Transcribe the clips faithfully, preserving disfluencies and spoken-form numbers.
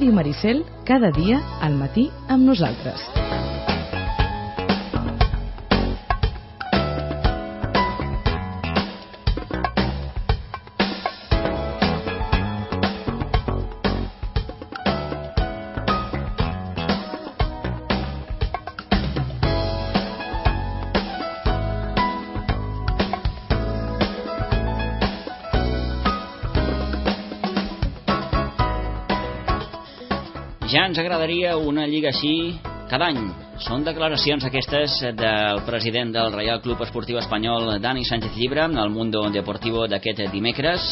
Ràdio Maricel, cada dia al matí amb nosaltres. Ja ens agradaria una lliga així cada any. Són declaracions aquestes del president del Reial Club Esportiu Espanyol, Dani Sánchez Llibre, al Mundo Deportivo d'aquest dimecres.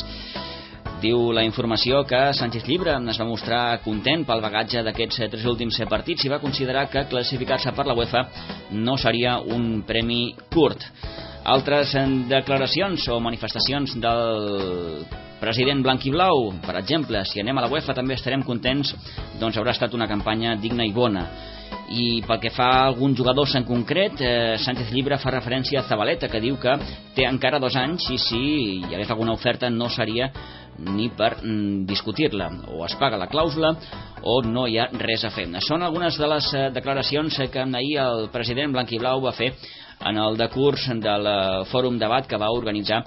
Diu la informació que Sánchez Llibre es va mostrar content pel bagatge d'aquests tres últims partits i va considerar que classificar-se per la UEFA no seria un premi curt. Altres declaracions o manifestacions del president blanquiblau, per exemple, si anem a la UEFA també estarem contents, doncs haurà estat una campanya digna i bona. I pel que fa a alguns jugadors en concret, eh, Sánchez Llibre fa referència a Zabaleta, que diu que té encara dos anys i si hi hagués alguna oferta no seria ni per mm, discutir-la, o es paga la clàusula o no hi ha res a fer. Són algunes de les eh, declaracions que ahir el president blanquiblau va fer en el decurs del fòrum debat que va organitzar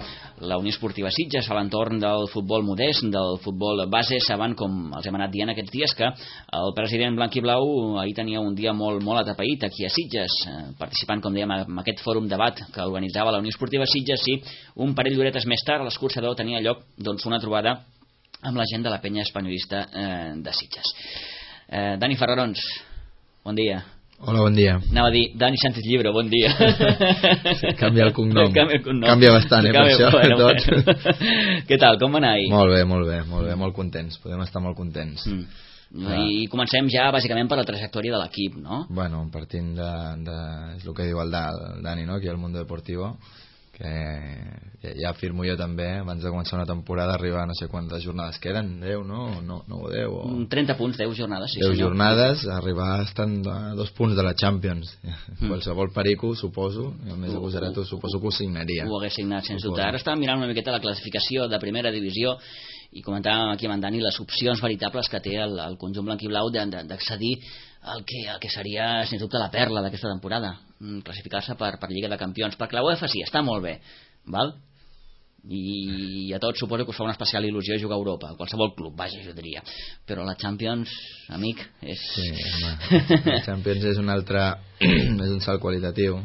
la Unió Esportiva Sitges a l'entorn del futbol modest, del futbol base. Saben, com els hem anat dient aquests dies, que el president blanquiblau ahir tenia un dia molt, molt atapeït aquí a Sitges, participant, com dèiem, en aquest fòrum debat que organitzava la Unió Esportiva Sitges, i un parell d'horetes més tard a l'escorxador tenia lloc doncs, una trobada amb la gent de la penya espanyolista eh, de Sitges. Eh, Dani Ferrarons, bon dia. Hola, bon dia. Anava a dir Dani Sánchez Llibre, bon dia. Sí, canvia el cognom. Canvia, el cognom. Canvia bastant, eh, Canvia, per això. Bueno, bueno. Què tal, com va anar ahir? Molt bé, molt bé, molt bé, molt contents. Podem estar molt contents. Mm. Ah. I comencem ja, bàsicament, per la trajectòria de l'equip, no? Bueno, partint de... de és el que diu el, da, el Dani, no?, aquí al Mundo Deportivo, que ja, ja afirmo jo també, abans de començar una temporada, arribar a no sé quantes jornades queden, deu, no? no, no o deu? O... trenta punts, deu jornades, sí, deu senyor. jornades, arribar estant a dos punts de la Champions. Mm. Qualsevol perico, suposo, a més de Guserato, suposo que ho signaria. Ho hagués signat, sens dubte. Ara estàvem mirant una miqueta la classificació de primera divisió i comentàvem aquí amb en Dani les opcions veritables que té el, el conjunt blanquiblau d'accedir al que, el que seria, sens dubte, la perla d'aquesta temporada, classificar-se per, per Lliga de Campions, perquè la UEFA sí, està molt bé, val? I a tots suposo que us fa una especial il·lusió jugar a Europa, a qualsevol club, vaja, jo diria, però la Champions, amic, és... Sí, home, la Champions és un altre és un salt qualitatiu,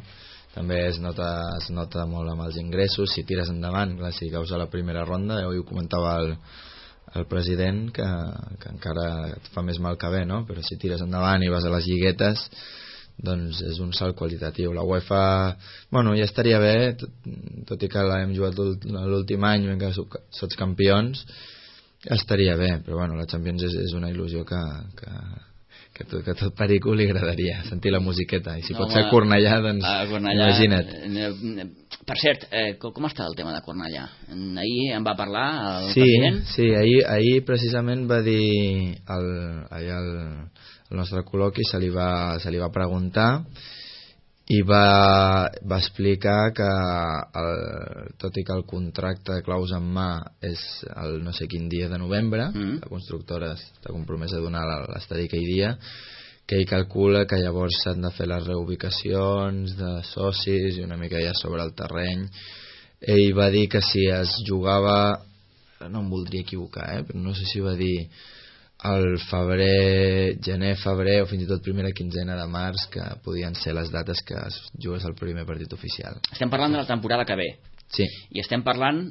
també es nota, es nota molt amb els ingressos, si tires endavant, clar, si caus a la primera ronda, ja ho comentava el, el president, que, que encara et fa més mal que bé, no? Però si tires endavant i vas a les lliguetes, doncs és un salt qualitatiu. La UEFA, bueno, ja estaria bé, tot, tot i que l'hem jugat l'últim any, que sots campions, ja estaria bé, però bueno, la Champions és, és una il·lusió que... que que tot, que tot perico li agradaria sentir la musiqueta, i si no, pot ser a Cornellà, doncs a Cornellà, imagina't. Per cert, eh, com està el tema de Cornellà? Ahir en va parlar el sí, president? Sí, ahir, ahir precisament va dir el, ahir el, el nostre col·loqui se li va, se li va preguntar i va, va explicar que el, tot i que el contracte de claus en mà és el no sé quin dia de novembre, mm. la constructora està compromesa a donar l'estadi aquell dia, que ell calcula que llavors s'han de fer les reubicacions de socis i una mica ja sobre el terreny. Ell va dir que si es jugava, no em voldria equivocar, eh, però no sé si va dir al febrer, gener, febrer o fins i tot primera quinzena de març, que podien ser les dates que es jugués el primer partit oficial. Estem parlant de la temporada que ve. Sí. I estem parlant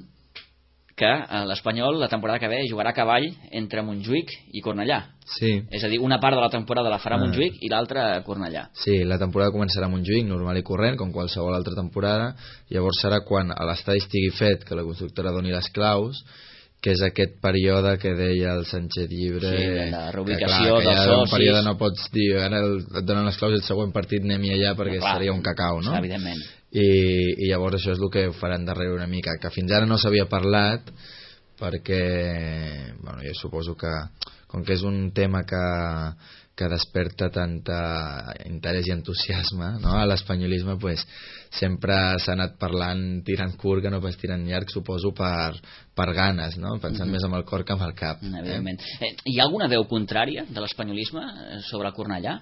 que l'Espanyol la temporada que ve jugarà a cavall entre Montjuïc i Cornellà. Sí. És a dir, una part de la temporada la farà ah. Montjuïc i l'altra a Cornellà. Sí, la temporada començarà a Montjuïc, normal i corrent, com qualsevol altra temporada. Llavors serà quan l'estadi estigui fet, que la constructora doni les claus, que és aquest període que deia el Sánchez Llibre, sí, de la reubicació que, clar, que dels socis. Un període no pots dir, ara et donen les claus i el següent partit anem-hi allà perquè no, clar, seria un cacau, no? Evidentment. I, i llavors això és el que faran darrere una mica, que fins ara no s'havia parlat, perquè bueno, jo suposo que com que és un tema que, que desperta tanta interès i entusiasme, no? A l'espanyolisme pues, sempre s'ha anat parlant tirant curt que no pas tirant llarg, suposo per, per ganes, no? Pensant mm-hmm. més amb el cor que amb el cap. Evidentment. Eh? Hi ha alguna veu contrària de l'espanyolisme sobre Cornellà?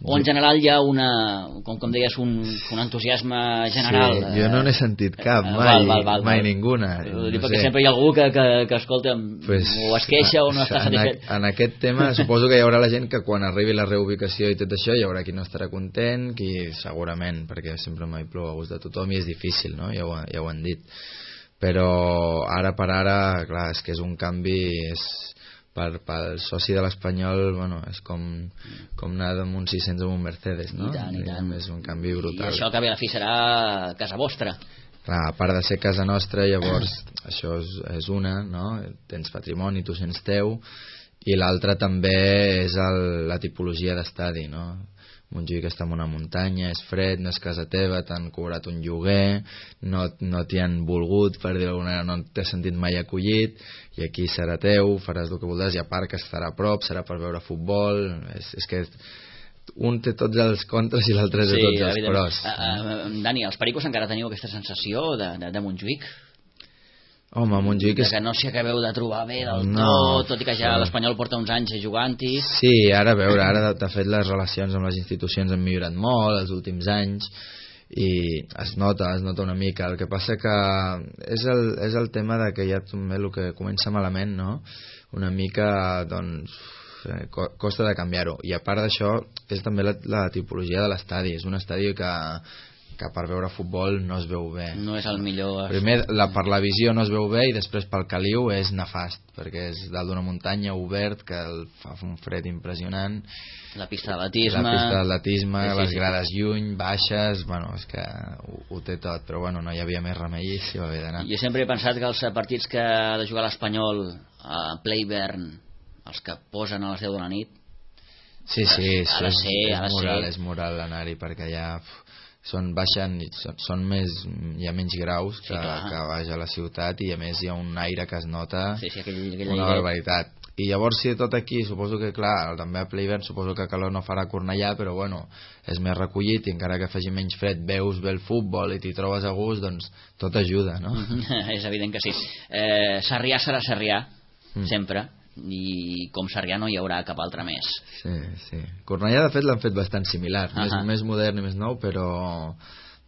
O en general hi ha una, com, com deies, un, un entusiasme general? Sí, jo no n'he sentit cap, mai, val, val, val, mai val. ninguna. No perquè sé. Sempre hi ha algú que, que, que escolta, pues, o es queixa o no està satisfet. En, en aquest tema suposo que hi haurà la gent que quan arribi la reubicació i tot això hi haurà qui no estarà content, qui segurament, perquè sempre mai plou a gust de tothom i és difícil, no? Ja ho, ja ho han dit. Però ara per ara, clar, és que és un canvi... És, per, pel soci de l'Espanyol, bueno, és com, com anar amb un sis cents amb un Mercedes, no? I tant, i tant. És un canvi brutal. I això que ve a la fi serà casa vostra. Clar, a part de ser casa nostra, llavors això és, és una, no? Tens patrimoni, tu sents teu, i l'altra també és el, la tipologia d'estadi, no? Montjuïc està en una muntanya, és fred, no és casa teva, t'han cobrat un lloguer, no, no t'hi han volgut, per dir-ho d'alguna manera, no t'has sentit mai acollit, i aquí serà teu, faràs el que voldràs, i a part que estarà a prop, serà per veure futbol, és, és que un té tots els contres i l'altre té sí, tots els pros. Uh, uh, Dani, els pericos encara teniu aquesta sensació de, de, de Montjuïc? Home, Montjuïc és... que no s'hi acabeu de trobar bé del no, tot, tot i que ja l'Espanyol porta uns anys jugant-hi. Sí, ara a veure, ara de fet les relacions amb les institucions han millorat molt els últims anys i es nota, es nota una mica. El que passa que és el, és el tema de que ja també el que comença malament, no? Una mica, doncs, costa de canviar-ho. I a part d'això, és també la, la tipologia de l'estadi. És un estadi que que per veure futbol no es veu bé. No és el millor. Primer, la, per la visió no es veu bé i després pel caliu és nefast, perquè és dalt d'una muntanya obert que el fa un fred impressionant. La pista d'atletisme. La pista d'atletisme, sí, sí, les grades sí. lluny, baixes, bueno, és que ho, ho té tot, però bueno, no hi havia més remei i s'hi va haver d'anar. Jo sempre he pensat que els partits que ha de jugar l'Espanyol a Playburn, els que posen a les deu de la nit, sí, sí, ha de ser, és, ha de és moral, ser. és moral anar-hi perquè ja... són baixen, són, són més, hi ha menys graus que, sí, que baix a la ciutat i a més hi ha un aire que es nota sí, sí, aquell, aquell una barbaritat. I llavors si tot aquí, suposo que clar, també a Playburn suposo que calor no farà Cornellà, però bueno, és més recollit i encara que faci menys fred veus bé el futbol i t'hi trobes a gust, doncs tot ajuda, no? És evident que sí. eh, Sarrià serà Sarrià, mm. sempre, i com Sarrià no hi haurà cap altre més. Sí, sí. Cornellà de fet l'han fet bastant similar, uh -huh. més, més modern i més nou, però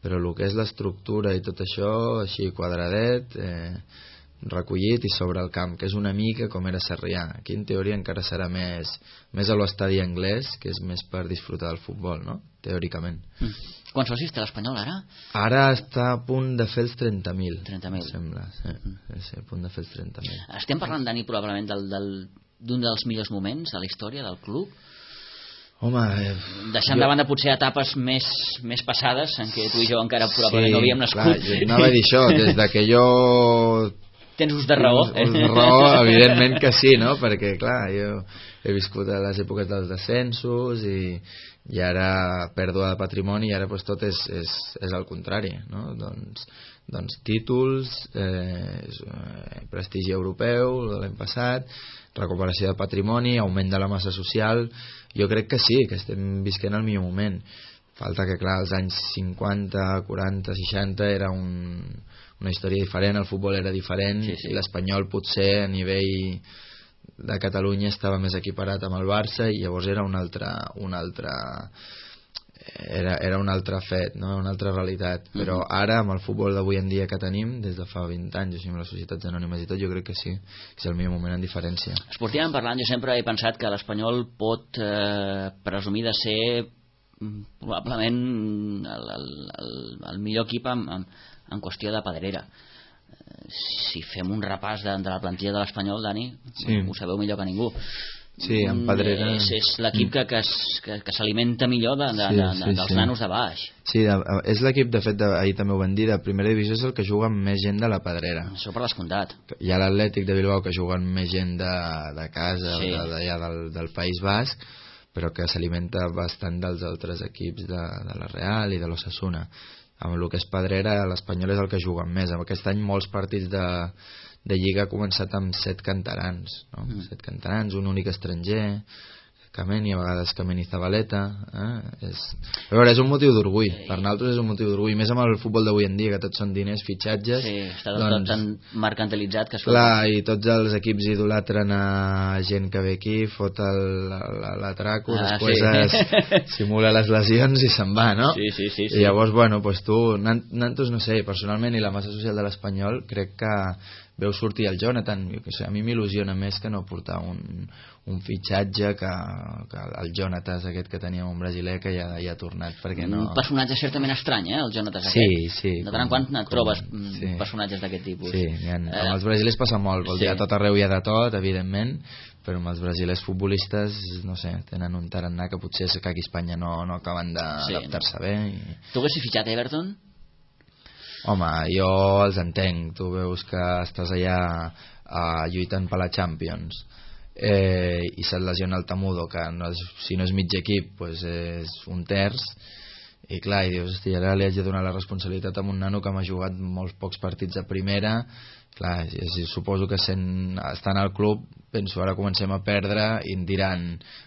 però el que és l'estructura i tot això així quadradet, eh, recollit i sobre el camp, que és una mica com era Sarrià. Aquí en teoria encara serà més més a l'estadi anglès, que és més per disfrutar del futbol, no? Teòricament. Mm. Quants socis té l'Espanyol ara? Ara està a punt de fer els trenta mil. trenta mil. Sembla, sí. Mm. Sí, a punt de fer els trenta mil. Estem parlant, Dani, probablement del, del, d'un dels millors moments de la història del club? Home, eh, deixant jo... de banda potser etapes més, més passades en què tu i jo encara probablement sí, no havíem nascut. Clar, jo anava a dir això, des de que jo... Tens ús de raó. Ús de raó, evidentment que sí, no? Perquè, clar, jo he viscut a les èpoques dels descensos i, i ara pèrdua de patrimoni i ara pues, tot és, és, és el contrari, no? Doncs, doncs títols, eh, prestigi europeu de l'any passat, recuperació de patrimoni, augment de la massa social. Jo crec que sí, que estem visquent el millor moment. Falta que, clar, als anys cinquanta, quaranta, seixanta era un, una història diferent, el futbol era diferent, sí, sí. I l'Espanyol potser a nivell de Catalunya estava més equiparat amb el Barça i llavors era un altre, un altre era, era un altre fet, no? Una altra realitat. Mm-hmm. Però ara amb el futbol d'avui en dia que tenim des de fa vint anys, així amb les societats anònimes i tot, jo crec que sí, que és el millor moment en diferència. Esportivament parlant, jo sempre he pensat que l'Espanyol pot eh, presumir de ser probablement el, el, el, el millor equip en, en, en qüestió de pedrera. Si fem un repàs de, de la plantilla de l'Espanyol, Dani, sí. Ho sabeu millor que ningú. Sí, en pedrera... És, és l'equip que, que, que, que s'alimenta millor de, de, sí, de, de, sí, dels sí. nanos de baix. Sí, de, és l'equip, de fet, de, ahir també ho van dir, de primera divisió és el que juga amb més gent de la pedrera. Això per descomptat. Hi ha l'Atlètic de Bilbao que juga amb més gent de, de casa, sí. d'allà del, del País Basc, però que s'alimenta bastant dels altres equips de, de la Real i de l'Osasuna. Amb el que és pedrera, l'Espanyol és el que juga més. Aquest any molts partits de, de Lliga ha començat amb set canterans, no? Mm. Set canterans, un únic estranger, Kameni, a vegades Kameni Zabaleta, eh? és... a veure, és un motiu d'orgull, sí. Per nosaltres és un motiu d'orgull, més amb el futbol d'avui en dia, que tots són diners, fitxatges. Sí, està tot, doncs, tot tan mercantilitzat que... Clar, i tots els equips idolatren a gent que ve aquí, fot l'atraco, ah, després sí. es simula les lesions i se'n va, no? Sí, sí, sí, sí. I llavors, bueno, pues tu, nantos, no sé, personalment, i la massa social de l'Espanyol, crec que veu sortir el Jonathan, jo que sé, a mi m'il·lusiona més que no portar un, un fitxatge que, que el Jonathan aquest que teníem un brasiler que ja, ja ha tornat, perquè no... Un personatge certament estrany, eh, el Jonathan sí, aquest. Sí, de tant en quant et trobes sí. personatges d'aquest tipus. Sí, ha, eh, amb els brasilers passa molt, vol sí. dir, a tot arreu hi ha de tot, evidentment, però amb els brasilers futbolistes, no sé, tenen un tarannà que potser que aquí a Espanya no, no acaben d'adaptar-se sí, no. bé. I... Tu haguessis fitxat Everton? Home, jo els entenc, tu veus que estàs allà uh, lluitant per la Champions eh, i se't lesiona el Tamudo, que no és, si no és mig equip pues és un terç, i clar, i dius, hosti, ara li haig de donar la responsabilitat a un nano que m'ha jugat molts pocs partits a primera. Clar, si suposo que sent, estant al club, penso, ara comencem a perdre i em diran,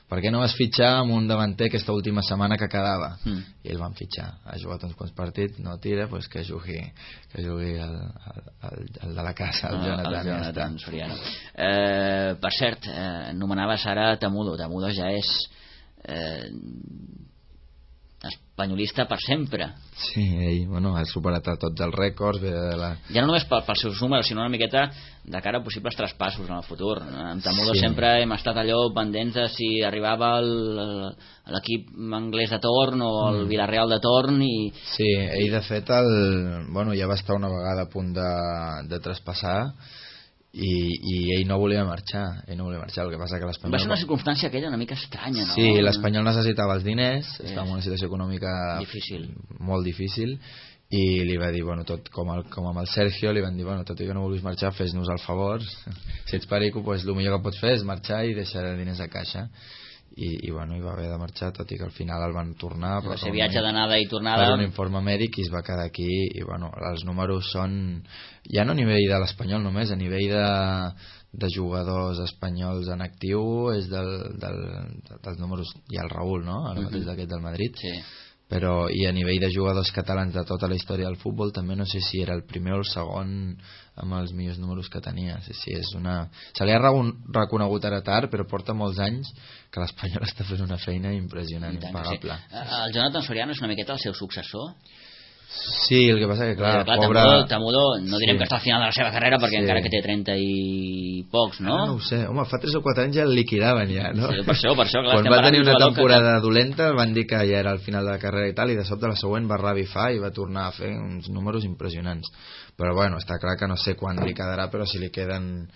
per què no vas fitxar amb un davanter aquesta última setmana que quedava? Mm. I el van fitxar, ha jugat uns quants partits, no tira, pues que jugui, que jugui el, el, el de la casa, el Jonathan. El Jonathan Soriano. Eh, per cert, eh, anomenaves ara Tamudo. Tamudo ja és eh, espanyolista per sempre. Sí, ell, bueno, ha superat a tots els rècords, ve de la... ja no només pels seus números, sinó una miqueta de cara a possibles traspassos en el futur. Amb Tamudo sí. sempre hem estat allò pendents de si arribava l'equip anglès de torn o el mm. Villarreal de torn i... Sí, ell de fet el, bueno, ja va estar una vegada a punt de, de traspassar i, i ell no volia marxar ell no volia marxar, el que passa que l'Espanyol va ser una circumstància aquella una mica estranya, no? Sí, l'Espanyol necessitava els diners, sí. estava en una situació econòmica difícil. molt difícil i li va dir, bueno, tot com, el, com amb el Sergio li van dir, bueno, tot i que no vulguis marxar fes-nos el favor, si ets perico pues, el millor que pots fer és marxar i deixar diners a caixa i, i bueno, i va haver de marxar, tot i que al final el van tornar, però va ser viatge d'anada i tornada per un informe mèdic i es va quedar aquí i bueno, els números són ja no a nivell de l'Espanyol només, a nivell de, de jugadors espanyols en actiu és del, del, dels números, hi ha el Raúl, no? Ara mateix uh-huh. d'aquest del Madrid sí. però i a nivell de jugadors catalans de tota la història del futbol també no sé si era el primer o el segon amb els millors números que tenia. Sí, sí, és una... se li ha reconegut ara tard, però porta molts anys que l'Espanyol està fent una feina impressionant, impagable. Sí. El Jonathan Soriano és una miqueta el seu successor? Sí, el que passa que clar, clar pobre... Tamudo, Tamudo no direm sí. que està al final de la seva carrera perquè sí. encara que té trenta i pocs, no? Ah, no ho sé, home, fa tres o quatre anys ja el liquidaven ja, no? Sí, per això, per això, clar, quan va tenir una temporada que... dolenta van dir que ja era al final de la carrera i tal, i de sobte la següent va revifar i va tornar a fer uns números impressionants, però bueno, està clar que no sé quan li quedarà, però si li queden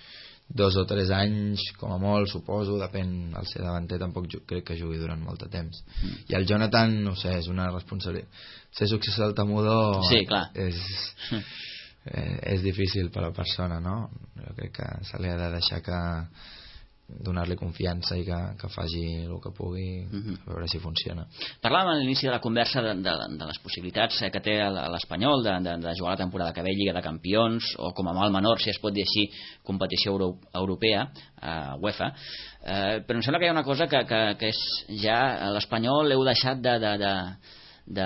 dos o tres anys com a molt, suposo, depèn, el ser davanter tampoc crec que jugui durant molt de temps mm. i el Jonathan, no sé, és una responsabilitat ser successor del Tamudo sí, clar. és eh, és difícil per a la persona, no? Jo crec que se li ha de deixar que donar-li confiança i que, que faci el que pugui uh-huh. a veure si funciona. Parlàvem a l'inici de la conversa de, de, de les possibilitats que té l'Espanyol de, de, de jugar la temporada que ve Lliga de Campions o com a mal menor, si es pot dir així, competició euro, europea a UEFA, eh, però em sembla que hi ha una cosa que, que, que és ja l'Espanyol l'heu deixat de, de, de de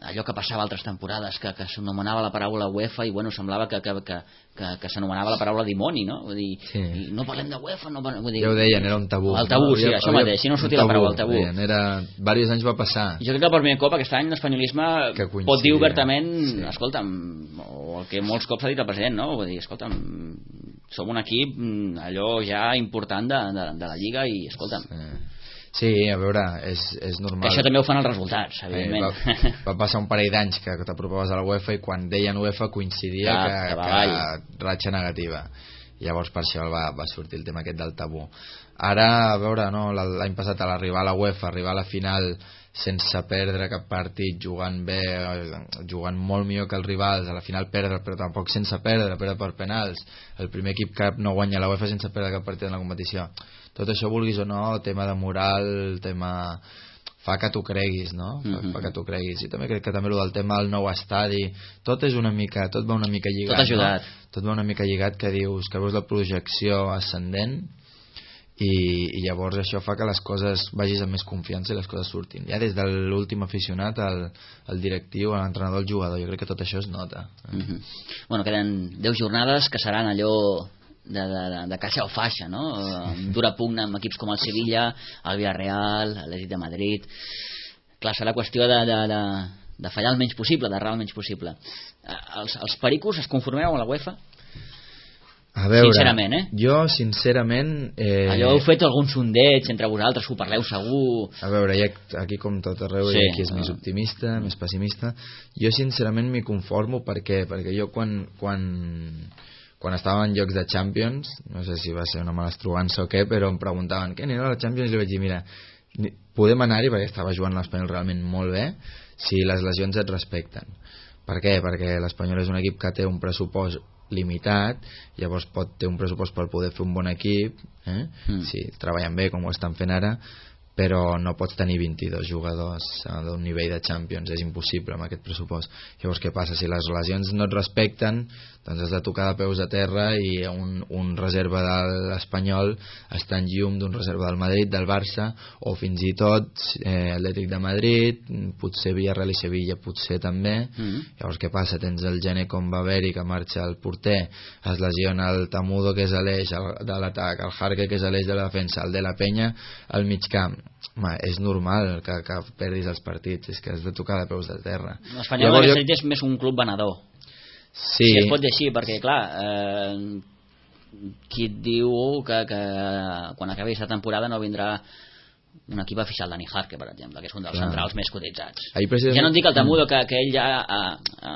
allò que passava altres temporades que, que s'anomenava la paraula UEFA i bueno, semblava que, que, que, que, que s'anomenava la paraula dimoni, no? Vull dir, sí. no parlem de UEFA, no parlem, vull dir, ja ho deien, era un tabú. El tabú, no? sí, havia, això mateix, si no sortia la paraula, el tabú. Deien, era, diversos anys va passar. Jo crec que per primer cop aquest any l'espanyolisme pot dir obertament, sí. escolta'm, o el que molts cops ha dit el president, no? Vull dir, escolta'm, som un equip allò ja important de, de, de la Lliga i escolta'm, sí. Sí, a veure, és, és normal. Que això també ho fan els resultats, evidentment. Eh, va, va passar un parell d'anys que t'apropaves a la UEFA i quan deien UEFA coincidia ja, que, que, que ratxa negativa. Llavors per això va, va sortir el tema aquest del tabú. Ara, a veure, no, l'any passat a l'arribar a la UEFA, arribar a la final sense perdre cap partit, jugant bé, jugant molt millor que els rivals, a la final perdre, però tampoc sense perdre, perdre per penals. El primer equip que no guanya la UEFA sense perdre cap partit en la competició. Tot això, vulguis o no, tema de moral, tema... fa que t'ho creguis, no? Fa, mm-hmm. fa que t'ho creguis. I també crec que també el del tema del nou estadi, tot és una mica, tot va una mica lligat. Tot ajudat. No? Tot va una mica lligat, que dius, que veus la projecció ascendent i, i llavors això fa que les coses vagis amb més confiança i les coses surtin. Ja des de l'últim aficionat al, al directiu, a l'entrenador, al jugador, jo crec que tot això es nota. Mm-hmm. Bueno, queden deu jornades que seran allò de, de, de, de caixa o faixa, no? Sí. Dura pugna amb equips com el Sevilla, el Villarreal, l'Atlètic de Madrid. Clar, serà qüestió de, de, de, de fallar el menys possible, d'errar el menys possible. Els, els pericos es conformeu amb la UEFA? A veure, sincerament, eh? Jo, sincerament... Eh... Allò heu fet algun sondeig entre vosaltres, ho parleu segur... A veure, ja, aquí com tot arreu, sí, hi ha qui és més optimista, uh... més pessimista. Jo, sincerament, m'hi conformo. Per què? Perquè jo, quan, quan, quan estava en llocs de Champions, no sé si va ser una mala estrugança o què, però em preguntaven, què anirà a la Champions? I li vaig dir, mira, podem anar-hi, perquè estava jugant l'Espanyol realment molt bé, si les lesions et respecten. Per què? Perquè l'Espanyol és un equip que té un pressupost limitat, llavors pot ter un pressupost per poder fer un bon equip, eh? mm. si treballen bé com ho estan fent ara, però no pots tenir vint-i-dos jugadors d'un nivell de Champions, és impossible amb aquest pressupost. Llavors què passa? Si les lesions no et respecten, doncs has de tocar de peus a terra, i un, un reserva de l'Espanyol està en llum d'un reserva del Madrid, del Barça, o fins i tot eh, Atlètic de Madrid, potser Villarreal i Sevilla potser també. Mm. Llavors què passa? Tens el gener com va haver-hi, que marxa el porter, es lesiona el Tamudo, que és l'eix de l'atac, el Jarque, que és l'eix de la defensa, el de la Penya al mig camp. Home, és normal que, que perdis els partits, és que has de tocar de peus de terra. L'Espanyol jo... és més un club venedor. Sí. Si es pot dir així, perquè clar, eh, qui et diu que, que quan acabi aquesta temporada no vindrà un equip a fixar el Dani Jarque, per exemple, que és un dels clar. centrals més cotitzats. Ja no en dic el Tamudo, que, que ell ja ha, ha,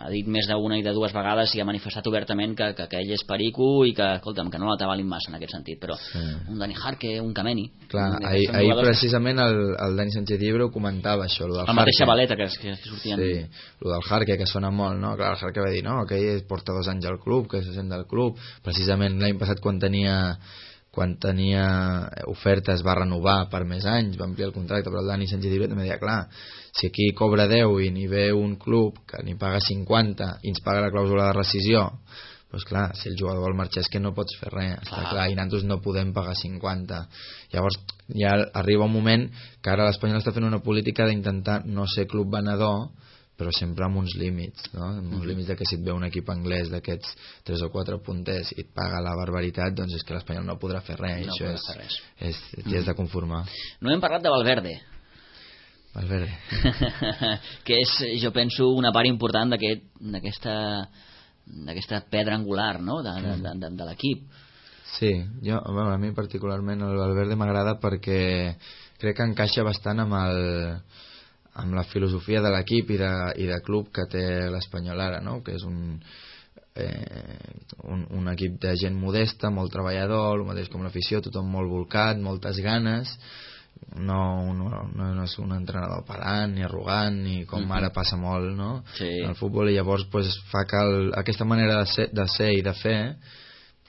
ha dit més d'una i de dues vegades i ha manifestat obertament que, que, que ell és perico i que, escolta'm, que no l'atabalin massa en aquest sentit, però sí. un Dani Jarque, un Kameni... Clar, ahir, ahir precisament el, el Dani Sánchez Llibre ho comentava, això, lo del el mateix Xavaleta, que, que, que sortien... Sí, lo del Jarque, que sona molt, no? Clar, el Jarque va dir, no, que ell porta dos anys al club, que se sent del club, precisament l'any passat quan tenia... quan tenia ofertes va renovar per més anys, va ampliar el contracte, però el Dani Sánchez Llibre també deia, clar, si aquí cobra deu i n'hi ve un club que n'hi paga cinquanta i ens paga la clàusula de rescisió, doncs clar, si el jugador vol marxar és que no pots fer res, està clar, clar, i nosaltres no podem pagar cinquanta. Llavors ja arriba un moment que ara l'Espanyol està fent una política d'intentar no ser club venedor, però sempre amb uns límits, no? Amb uns límits de que si et ve un equip anglès d'aquests tres o quatre punters i et paga la barbaritat, doncs és que l'Espanyol no podrà fer res, no això és, res. és, t'hi has de conformar. No hem parlat de Valverde. Valverde. Que és, jo penso, una part important d'aquesta d'aquesta pedra angular, no? de, de, de, de, de l'equip. Sí, jo, bueno, a mi particularment el Valverde m'agrada perquè crec que encaixa bastant amb el amb la filosofia de l'equip i, de, i de club que té l'Espanyol ara, no? Que és un, eh, un, un equip de gent modesta, molt treballador, el mateix com l'afició, tothom molt volcat, moltes ganes, no, no, no, no és un entrenador pedant ni arrogant, ni com mm-hmm. ara passa molt, no? Sí. En el futbol, i llavors pues, fa que el, aquesta manera de ser, de ser i de fer,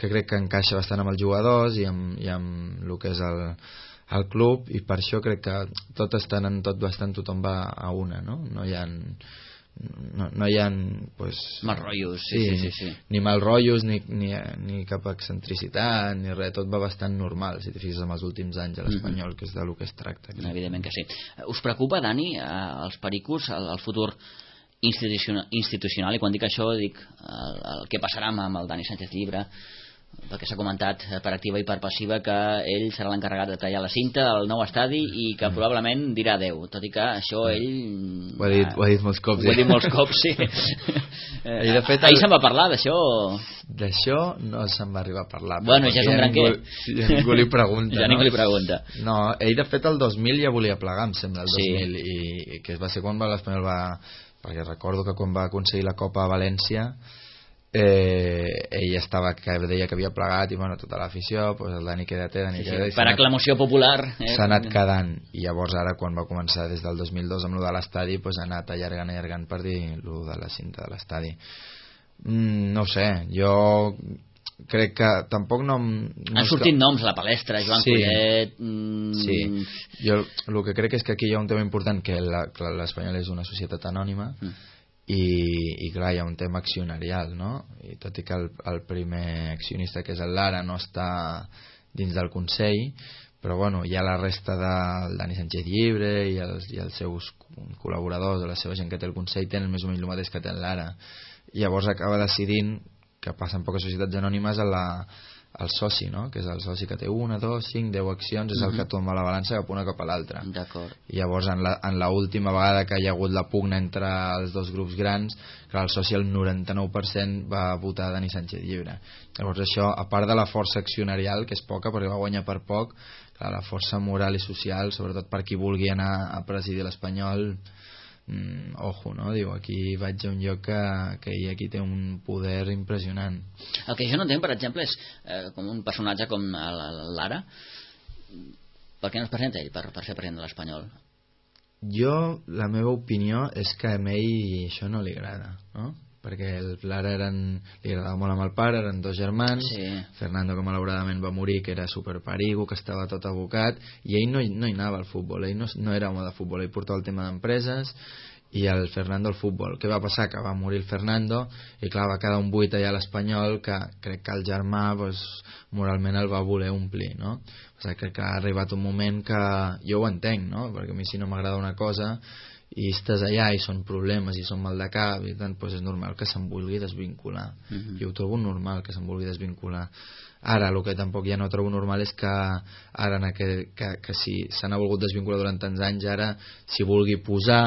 que crec que encaixa bastant amb els jugadors i amb, i amb el que és el al club, i per això crec que tot estan en tot bastant, tothom va a una, no? No hi ha no, no hi ha pues, mal rotllos, sí, sí, sí, sí, sí. ni mal rotllos ni, ni, ni cap excentricitat ni res, tot va bastant normal si t'hi fixes en els últims anys a l'Espanyol, mm-hmm. que és del que es tracta. Crec. Evidentment que sí. Us preocupa, Dani, els pericos, el, el futur institucional, institucional, i quan dic això dic el, el que passarà amb el Dani Sánchez Llibre, perquè s'ha comentat per activa i per passiva que ell serà l'encarregat de tallar la cinta al nou estadi i que mm. probablement dirà adeu, tot i que això ell ho ha dit, ho ha dit molts cops, ho ha dit molts cops, sí. I de fet, ahir el... se'n va parlar d'això d'això no se'n va arribar a parlar, bueno, ja és un gran què ja ningú li pregunta, ja no? ningú li pregunta. No, ell de fet el dos mil ja volia plegar, em sembla, el sí. dos mil, i, i que va ser quan l'Espanyol va, perquè recordo que quan va aconseguir la Copa a València, eh, ell estava, que deia que havia plegat, i bueno, tota l'afició, pues el Dani quédate, Dani sí, quédate, sí. per aclamació popular eh? s'ha anat quedant, i llavors ara quan va començar des del dos mil dos amb lo de l'estadi, pues ha anat allargant allargant per dir lo de la cinta de l'estadi. mm, no ho sé, jo crec que tampoc no, no han sortit que... noms a la palestra, Joan sí, Collet mm... sí, jo el que crec és que aquí hi ha un tema important, que l'Espanyol és una societat anònima, mm. i, i clar, hi ha un tema accionarial, no? I tot i que el, el primer accionista, que és el Lara, no està dins del Consell, però bueno, hi ha la resta del Dani Sánchez Llibre i els, i els seus col·laboradors, la seva gent que té el Consell, tenen més o menys el mateix que té l'Ara. Llavors acaba decidint, que passa en poques societats anònimes, a la, al soci, no? Que és el soci que té una, dos, cinc, deu accions, és el que tomba la balança cap una cap a l'altra. D'acord. I llavors en la, en la última vegada que hi ha hagut la pugna entre els dos grups grans, clar, el soci el noranta-nou per cent va votar Dani Sánchez Llibre. Llavors això, a part de la força accionarial, que és poca perquè va guanyar per poc, clar, la força moral i social, sobretot per qui vulgui anar a presidir l'Espanyol, mm, ojo, no? Diu, aquí vaig a un lloc que, que ell aquí té un poder impressionant. El que jo no entenc, per exemple, és eh, com un personatge com l'Ara, per què no es presenta ell per, per ser president de l'Espanyol? Jo, la meva opinió és que a ell això no li agrada, no? Perquè l'Ara eren, li agradava molt amb el pare, eren dos germans, sí. Fernando que malauradament va morir, que era superperigo, que estava tot abocat, i ell no, no hi anava al futbol, ell no, no era home de futbol, ell portava el tema d'empreses i el Fernando al futbol. Què va passar? Que va morir el Fernando i clar, va quedar un buit allà a l'Espanyol que crec que el germà pues, moralment el va voler omplir, no? O sigui, crec que ha arribat un moment que jo ho entenc, no? Perquè a mi si no m'agrada una cosa i estàs allà i són problemes i són mal de cap i tant, doncs és normal que se'n vulgui desvincular. Uh-huh. Jo ho trobo normal que se'n vulgui desvincular. Ara, el que tampoc ja no trobo normal és que ara que, que, que si se n'ha volgut desvincular durant tants anys, ara s'hi vulgui posar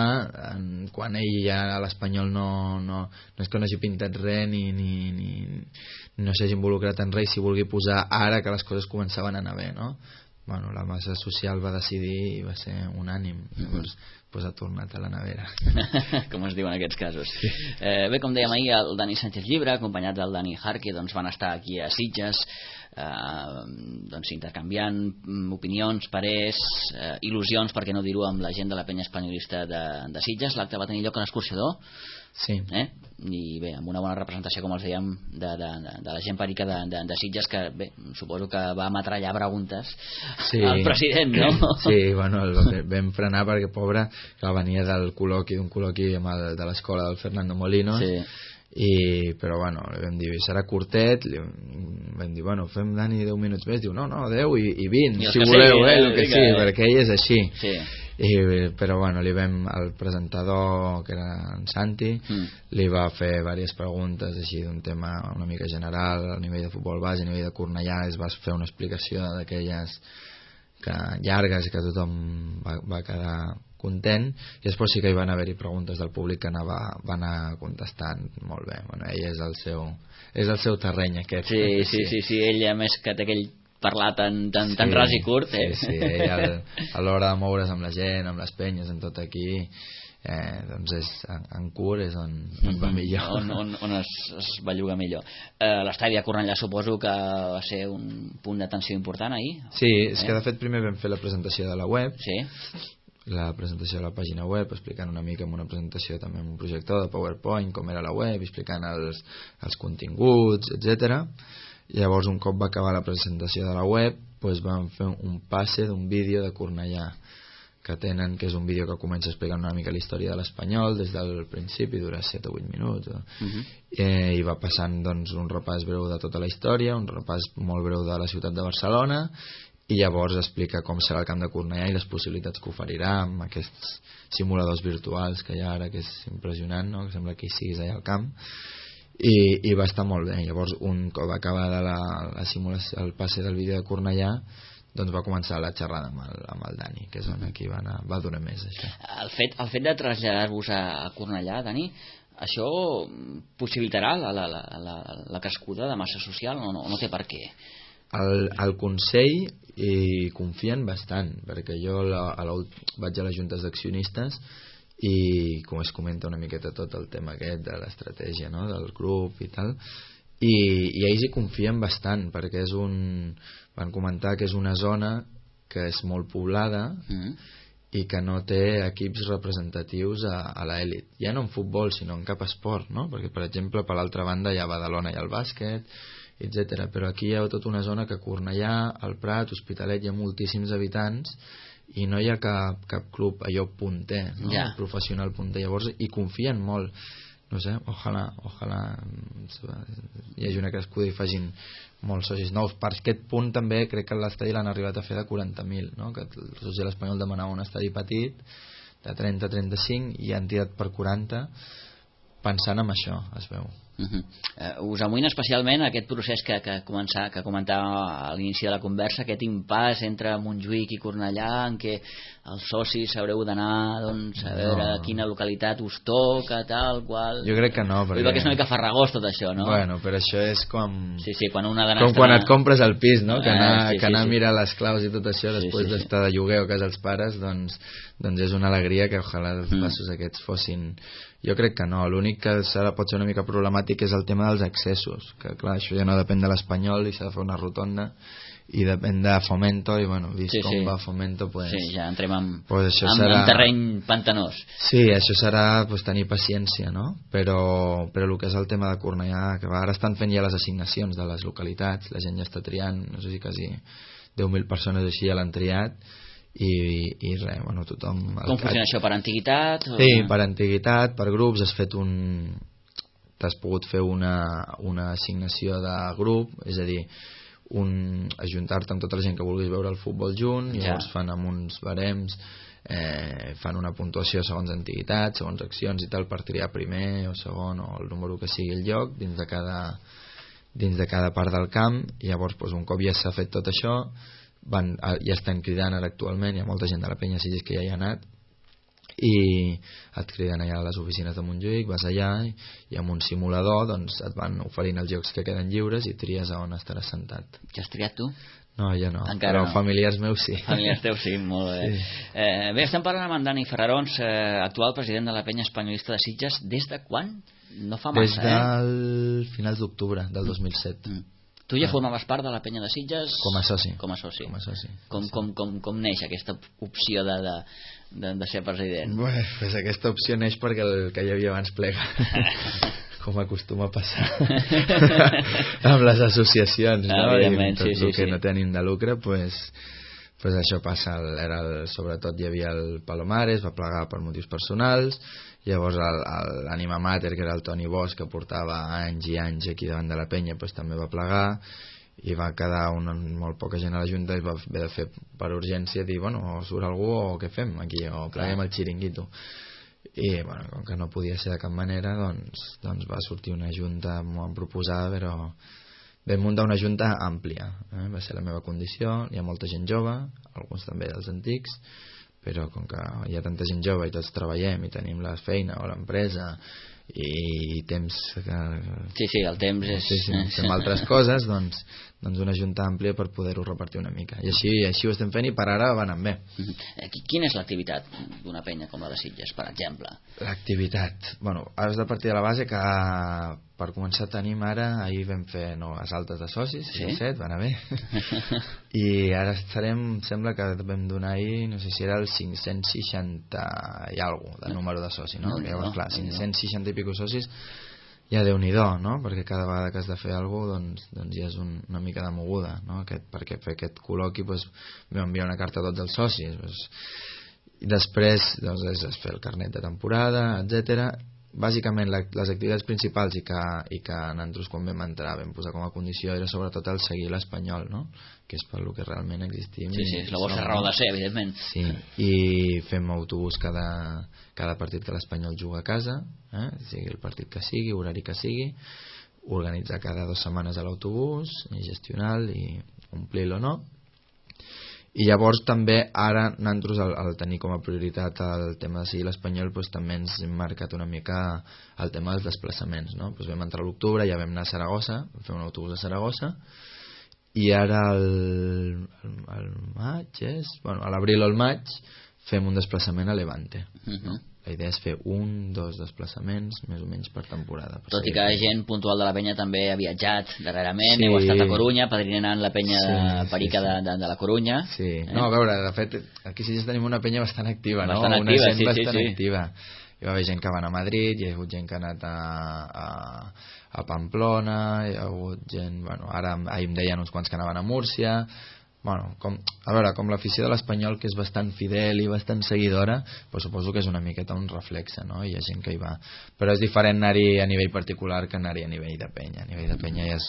en, quan ell ja a l'Espanyol no, no, no és que no hagi pintat res ni, ni, ni no s'hagi involucrat en res, s'hi vulgui posar ara que les coses començaven a anar bé, no? Bueno, la massa social va decidir i va ser unànim. Llavors pues ha tornat a la nevera. Com es diu en aquests casos. Sí. Eh, bé, com dèiem ahir, el Dani Sánchez Llibre, acompanyat del Dani Jarque, doncs van estar aquí a Sitges, eh, doncs intercanviant opinions, parers, eh, il·lusions, per què no dir-ho, amb la gent de la penya espanyolista de, de Sitges. L'acte va tenir lloc a l'Escorxador. Sí. Eh? I bé, amb una bona representació, com els dèiem, de, de, de, de la gent perica de, de, de Sitges, que bé, suposo que va metrallar preguntes sí. al president, no? Sí, bueno, el vam frenar perquè, pobre, que venia del col·loqui, d'un col·loqui amb el, de l'escola del Fernando Molinos, sí. I, però bueno, vam dir, serà curtet, li, vam dir, bueno, fem Dani deu minuts més, diu, no, no, deu i, i vint, I si voleu, sí, eh, el que sí, que... perquè ell és així. Sí. I, però bueno, li vam al presentador que era en Santi mm. li va fer diverses preguntes així d'un tema una mica general a nivell de futbol base, a nivell de Cornellà es va fer una explicació d'aquelles que, llargues que tothom va, va quedar content i després sí que hi van haver-hi preguntes del públic que anava, va anar contestant molt bé. Bueno, ell és el seu, és el seu terreny aquest. Sí, sí, sí, sí, ell a més que té aquell parlar tan, tan, sí, tan ras i curt, eh? Sí, sí, ell a l'hora de moure's amb la gent, amb les penyes, en tot aquí, eh, doncs és, en, en curt és on, on va millor. On, on, on es, es belluga millor. Eh, L'estadi a Cornellà suposo que va ser un punt d'atenció important ahir? Sí, és eh? que de fet primer vam fer la presentació de la web, sí. la presentació de la pàgina web, explicant una mica amb una presentació també amb un projector de PowerPoint, com era la web, explicant els, els continguts, etcètera. Llavors un cop va acabar la presentació de la web doncs vam fer un passe d'un vídeo de Cornellà que tenen, que és un vídeo que comença explicant una mica la història de l'Espanyol des del principi, dura set o vuit minuts o... uh-huh. eh, i va passant doncs, un repàs breu de tota la història, un repàs molt breu de la ciutat de Barcelona i llavors explica com serà el camp de Cornellà i les possibilitats que oferirà amb aquests simuladors virtuals que hi ha ara, que és impressionant, no? Que sembla que hi siguis allà al camp. I, i va estar molt bé. Llavors un cop acabada la, la simulació, el passe del vídeo de Cornellà, doncs va començar la xerrada amb el, amb el Dani, que és on aquí va, anar, va durar més això. El fet, el fet de traslladar-vos a Cornellà, Dani, això possibilitarà la, la, la, la, la crescuda de massa social o no, no té per què? El, el Consell hi confien bastant, perquè jo la, a la, vaig a les juntes d'accionistes i com es comenta una miqueta tot el tema aquest de l'estratègia, no? Del grup i tal, i, i ells hi confien bastant perquè és un, van comentar que és una zona que és molt poblada mm. i que no té equips representatius a, a l'elit, ja no en futbol sinó en cap esport, no? Perquè per exemple per l'altra banda hi ha Badalona i el bàsquet, etcètera. Però aquí hi ha tota una zona que Cornellà, el Prat, Hospitalet, hi ha moltíssims habitants i no hi ha cap, cap club allò punter, no? Yeah. Professional punter, llavors hi confien molt. no sé, ojalà, ojalà hi hagi una crescuda i facin molts socis nous. Per aquest punt també crec que l'estadi l'han arribat a fer de quaranta mil, no? Que el soci de l'Espanyol demanava un estadi petit de trenta a trenta-cinc i han tirat per quaranta, pensant en això, es veu. Uh -huh. uh, us amoïna especialment aquest procés que, que, començar, que comentava a l'inici de la conversa, aquest impàs entre Montjuïc i Cornellà, en què els socis haureu d'anar, doncs, a veure no. quina localitat us toca, tal qual. Jo crec que no, perquè... perquè és una mica farragós tot això, no? Bueno, però això és com... Sí, sí, quan una com quan et compres el pis, no? Que anar, ah, sí, que anar sí, a sí. mirar les claus i tot això després sí, sí, d'estar de lloguer o a casa dels pares, doncs, doncs és una alegria que ojalà els mm. passos aquests fossin... Jo crec que no, l'únic que serà, pot ser una mica problemàtic és el tema dels accessos, que clar, això ja no depèn de l'Espanyol i s'ha de fer una rotonda, i depèn de Fomento, i bueno, vist sí, com sí. va Fomento, pues, sí, ja entrem en, pues en, serà... en terreny pantanós. Sí, això serà pues, tenir paciència, no? Però, però el que és el tema de Cornellà, que ara estan fent ja les assignacions de les localitats, la gent ja està triant, no sé si quasi deu mil persones així ja l'han triat, i, i res, bueno, tothom... Com funciona això, per antiguitat? O... Sí, per antiguitat, per grups, has fet un... t'has pogut fer una, una assignació de grup, és a dir, un, ajuntar-te amb tota la gent que vulguis veure el futbol junt, i llavors ja. fan amb uns barems, eh, fan una puntuació segons antiguitat, segons accions i tal, per triar primer o segon o el número que sigui el lloc dins de cada, dins de cada part del camp, i llavors doncs, un cop ja s'ha fet tot això, van, ja estan cridant ara actualment, hi ha molta gent de la penya Sitges que ja hi ha anat, i et criden allà a les oficines de Montjuïc, vas allà i, i amb un simulador doncs, et van oferint els llocs que queden lliures i tries a on estaràs sentat. Ja has triat tu? No, ja no, encara però no. Familiars meus sí. Familiars teus sí, molt bé. Sí. Eh, bé, estem parlant amb en Dani Ferrarons, eh, actual president de la penya espanyolista de Sitges. Des de quan? No fa massa, Des del eh? finals d'octubre del dos mil set. Mm. Tu ja formaves part de la penya de Sitges? Com a soci. Com a soci. Com, a soci. Com, com, com, com neix aquesta opció de, de, de, de ser president? Bé, pues aquesta opció neix perquè el que hi havia abans plega. Com acostuma a passar amb les associacions, no? I tot sí, sí, el que sí. no té ànim de lucre, pues, pues això passa. Era el, sobretot hi havia el Palomares, va plegar per motius personals. Llavors l'ànima mater, que era el Toni Bosch, que portava anys i anys aquí davant de la penya, pues, també va plegar, i va quedar una, molt poca gent a la Junta, i va haver de fer per urgència dir, bueno, o surt algú o què fem aquí, o pleguem el xiringuito. I bueno, com que no podia ser de cap manera, doncs, doncs va sortir una Junta molt proposada, però vam muntar una Junta àmplia, eh? Va ser la meva condició, hi ha molta gent jove, alguns també dels antics, però com que hi ha tanta gent jove i tots treballem i tenim la feina o l'empresa i temps que... Sí, sí, el temps és... Sí, sí, fem altres coses, doncs, doncs una junta àmplia per poder-ho repartir una mica. I així, així ho estem fent i per ara va anant bé. Quina és l'activitat d'una penya com la de Sitges, per exemple? L'activitat... Bueno, has de partir de la base que per començar tenim ara, ahir vam fer noves altes de socis, sí? set, va anar bé. I ara estarem, sembla que vam donar ahir, no sé si era el cinc-cents seixanta i alguna cosa de número de socis, no? no, Llavors, no clar, cinc-cents seixanta i pico socis, ja Déu-n'hi-do, no? Perquè cada vegada que has de fer alguna cosa, doncs, doncs ja és un, una mica de moguda, no? Aquest, perquè fer aquest col·loqui doncs, vam enviar una carta a tots els socis, doncs, i després doncs, és fer el carnet de temporada, etcètera. Bàsicament la, les activitats principals i que, i que nosaltres quan vam entrar vam posar com a condició era sobretot el seguir l'Espanyol, no? Que és per lo que realment existim. Sí, sí, és la vostra raó de ser, evidentment. Sí, i fem autobús cada, cada partit que l'Espanyol juga a casa, eh? Sigui el partit que sigui, horari que sigui, organitzar cada dues setmanes a l'autobús, i gestionar i omplir-lo o no. I llavors també ara nosaltres al, al tenir com a prioritat el tema de seguir l'Espanyol doncs, també ens hem marcat una mica el tema dels desplaçaments, no? Doncs vam entrar a l'octubre, ja vam anar a Saragossa, vam fer un autobús a Saragossa, i ara el, el, el maig és, bueno, a l'abril o al maig fem un desplaçament a Levante, uh-huh. no? La idea és fer un, dos desplaçaments més o menys per temporada. Per Tot i que gent puntual de la penya també ha viatjat darrerament, sí. Heu estat a Corunya padrinant la penya sí, de Perica sí, sí. De, de, de la Corunya. Sí, eh? No, a veure, de fet aquí sí tenim una penya bastant activa, bastant no? Activa, una gent sí, bastant sí, sí. activa. Hi va haver gent que va anar a Madrid, hi ha hagut gent que ha anat a, a, a Pamplona, hi ha hagut gent, bueno, ara ahir em deien uns quants que anaven a Múrcia, bueno, com, a veure, com l'afició de l'Espanyol, que és bastant fidel i bastant seguidora, pues suposo que és una miqueta un reflexe, no? Hi ha gent que hi va, però és diferent anar-hi a nivell particular que anar-hi a nivell de penya. A nivell de penya ja és,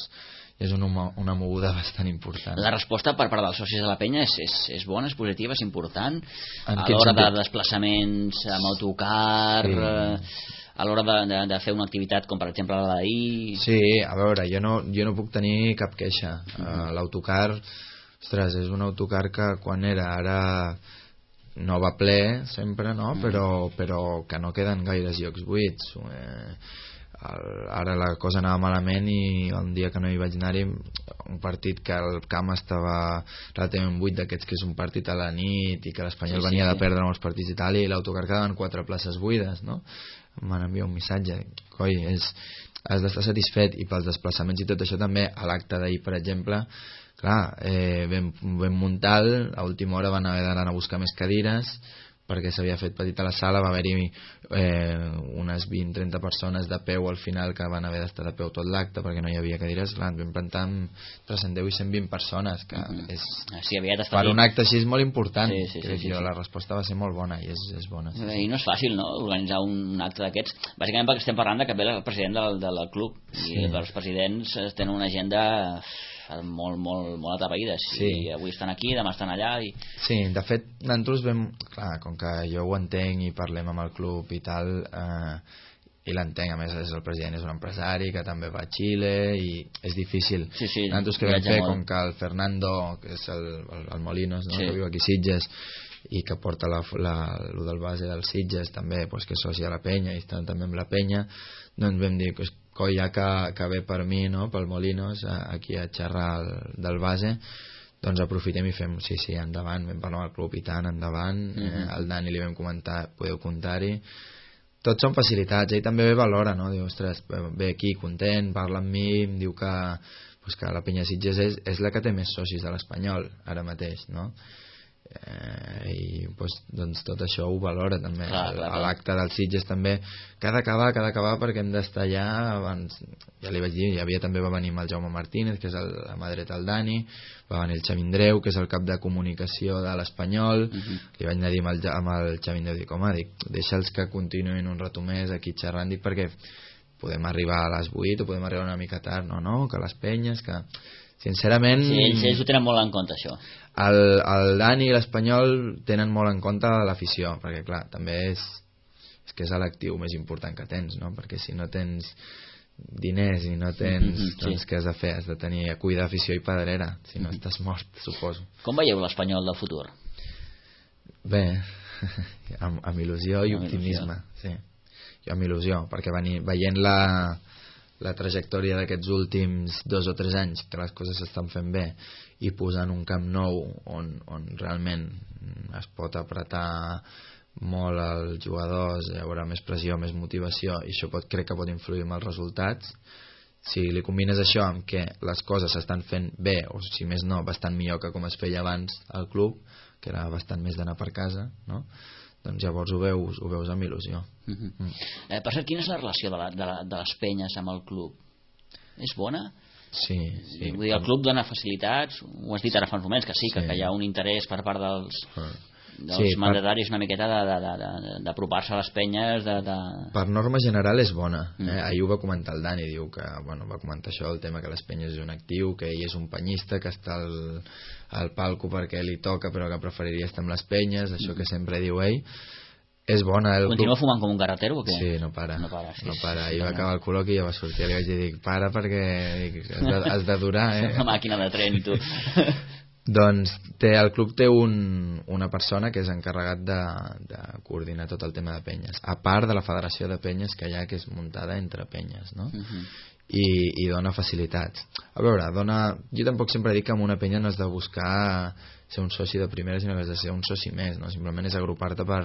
ja és una, una moguda bastant important. La resposta per part dels socis de la penya és, és, és bona, és positiva, és important en a l'hora de desplaçaments amb autocar, sí. eh, a l'hora de, de, de fer una activitat com per exemple la d'ahir. Sí, a veure, jo no, jo no puc tenir cap queixa. Uh-huh. uh, l'autocar, ostres, és un autocar que quan era ara no va ple sempre, no? Uh-huh. però, però que no queden gaires llocs buits. eh, el, ara la cosa anava malament i el dia que no hi vaig anar-hi, un partit que el camp estava relativament buit, d'aquests que és un partit a la nit i que l'Espanyol sí, venia sí. de perdre molts partits i tal, i l'autocar quedaven quatre places buides, no? M'han enviat un missatge, coi, és, has d'estar satisfet. I pels desplaçaments i tot això també, a l'acte d'ahir per exemple, clar, eh, vam, vam muntar, a última hora van haver d'anar a buscar més cadires perquè s'havia fet petita la sala, va haver-hi eh, unes vint a trenta persones de peu al final que van haver d'estar de peu tot l'acte perquè no hi havia cadires. Clar, vam plantar entre cent deu i cent vint persones, que mm-hmm. és, sí, per un acte així és molt important. Sí, sí, sí, sí, jo, sí. La resposta va ser molt bona i és, és bona. Sí, I no és fàcil, no?, organitzar un acte d'aquests, bàsicament perquè estem parlant de que ve el president del, del club i sí. els presidents tenen una agenda molt, molt, molt atapeïdes, sí. i avui estan aquí, demà estan allà i... Sí, de fet nosaltres vam, clar, com que jo ho entenc i parlem amb el club i tal, eh, i l'entenc, a més és el president, és un empresari que també va a Xile i és difícil. Sí, sí, nosaltres que vam fer, molt. Com que el Fernando, que és el, el, el Molinos, no? Sí. Que viu aquí a Sitges i que porta la, la, lo del base del Sitges també, pues, que és soci a la penya i estan també amb la penya, doncs vam dir que coi, ja que, que ve per mi, no? Pel Molinos, aquí a xerrar el, del base, doncs aprofitem i fem, sí, sí, endavant, vam parlar amb el club i tant, endavant. Mm-hmm. eh, al Dani li vam comentar, podeu comptar-hi, tots són facilitats. Ell també ve valora, no? Diu, ostres, ve aquí content, parla amb mi, em diu que, pues, que la penya Sitges és, és la que té més socis de l'Espanyol ara mateix, no? Eh, i pues, doncs tot això ho valora també. Clar, clar, a l'acte dels Sitges també, que ha d'acabar, que ha d'acabar perquè hem d'estar allà abans. Ja li vaig dir, hi havia també, va venir el Jaume Martínez, que és el, la mà dreta del Dani, va venir el Xavindreu, que és el cap de comunicació de l'Espanyol. Uh-huh. Li vaig anar a dir amb el, amb el Xavindreu, dic, home, dic, deixa'ls que continuïn un rato més aquí xerrant, dic, perquè podem arribar a les vuit o podem arribar una mica tard, no, no, que les penyes, que sincerament... Sí, ells, ells ho tenen molt en compte, això. El, el Dani i l'Espanyol tenen molt en compte l'afició, perquè clar, també és, és que és l'actiu més important que tens, no? Perquè si no tens diners i no tens, mm-hmm, doncs sí. Què has de fer? Has de tenir a cuidar afició i pedrera, si no mm-hmm. estàs mort, suposo. Com veieu l'Espanyol del futur? Bé, amb, amb il·lusió i amb optimisme, il·lusió. Sí. Jo amb il·lusió, perquè venir, veient la la trajectòria d'aquests últims dos o tres anys, que les coses s'estan fent bé, i posant un camp nou on, on realment es pot apretar molt els jugadors, hi haurà més pressió, més motivació, i això pot, crec que pot influir en els resultats. Si li combines això amb que les coses s'estan fent bé, o si més no, bastant millor que com es feia abans al club, que era bastant més d'anar per casa, no? Doncs llavors ho veus, ho veus amb il·lusió. Uh-huh. mm. eh, per cert, quina és la relació de, la, de, la, de les penyes amb el club? És bona? Sí, sí. Vull dir, el club dona facilitats, ho has dit ara fa uns moments, que sí, sí. Que, que hi ha un interès per part dels, uh. dels sí, mandataris per... una miqueta d'apropar-se a les penyes. De, de... Per norma general és bona. Mm. Eh? Ahir ho va comentar el Dani, diu que, bueno, va comentar això, el tema que les penyes és un actiu, que ell és un penyista, que està al, al palco perquè li toca però que preferiria estar amb les penyes, això que sempre diu ell. És bona. El Continua club... fumant com un carretero o què? Sí, no para. No para, sí, no para. Sí, I va acabar el col·loqui i ja va sortir. Li vaig dir, para perquè dic, has, de, has de durar, eh? Una màquina de tren, tu. Doncs té, el club té un, una persona que és encarregat de, de coordinar tot el tema de penyes, a part de la federació de penyes que hi ha, que és muntada entre penyes, no? Uh-huh. I, i dona facilitats. A veure, dona... jo tampoc sempre dic que amb una penya no has de buscar ser un soci de primera, sinó que has de ser un soci més, no? Simplement és agrupar-te per,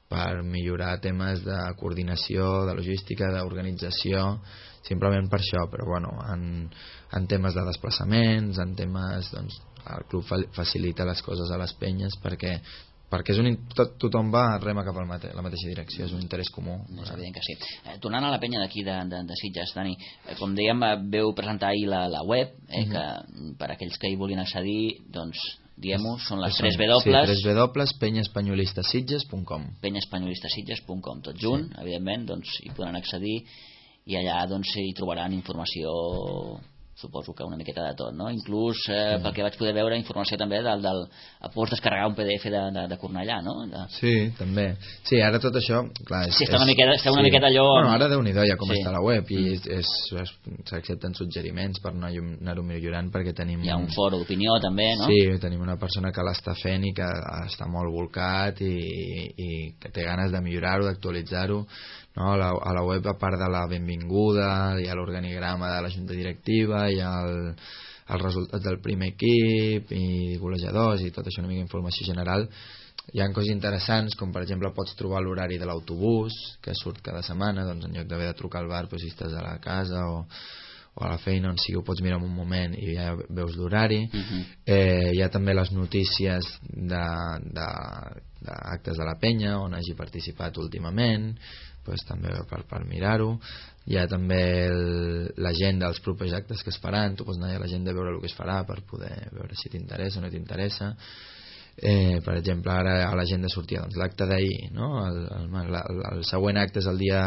per millorar temes de coordinació, de logística, d'organització, simplement per això. Però bueno, en, en temes de desplaçaments, en temes, doncs, el club facilita les coses a les penyes perquè perquè és un, tot, tothom va rema cap a mate, la mateixa direcció, és un interès comú. És evident que sí. Eh, tornant a la penya d'aquí de, de, de Sitges, Dani, eh, com dèiem, veu presentar ahir la, la web, eh, mm-hmm. que per aquells que hi vulguin accedir, doncs, diguem-ho, són les tres W. Sí, tres W, penyespanyolistasitges punt com. penyespanyolistasitges punt com, tot junt, sí. Evidentment, doncs hi podran accedir i allà doncs hi trobaran informació, suposo que una miqueta de tot, no? Inclús, eh, mm. pel que vaig poder veure, informació també del... del pots descarregar un P D F de, de, de Cornellà, no? De... Sí, també. Sí, ara tot això... Clar, és, sí, està una miqueta, està una sí. miqueta allò... Bueno, ara Déu-n'hi-do ja com sí. està la web i mm. s'accepten suggeriments per anar-ho millorant perquè tenim... Hi ha un foro d'opinió també, no? Sí, tenim una persona que l'està fent i que està molt volcat i, i que té ganes de millorar-ho, d'actualitzar-ho. No, a, la, a la web, a part de la benvinguda, hi ha l'organigrama de la junta directiva, hi ha el, els resultats del primer equip i golejadors i tot això, una mica informació general. Hi ha coses interessants, com per exemple pots trobar l'horari de l'autobús que surt cada setmana, doncs en lloc d'haver de trucar al bar, doncs si estàs a la casa o, o a la feina, on sigui, ho pots mirar en un moment i ja veus l'horari. Uh-huh. eh, hi ha també les notícies de, de, d'actes de la penya on hagi participat últimament, pues, també per, per mirar-ho. Hi ha també l'agenda dels propers actes que es faran, tu pots anar a l'agenda a veure el que es farà per poder veure si t'interessa o no t'interessa. Eh, per exemple, ara a l'agenda sortia doncs, l'acte d'ahir, no? el, el, el, el següent acte és el dia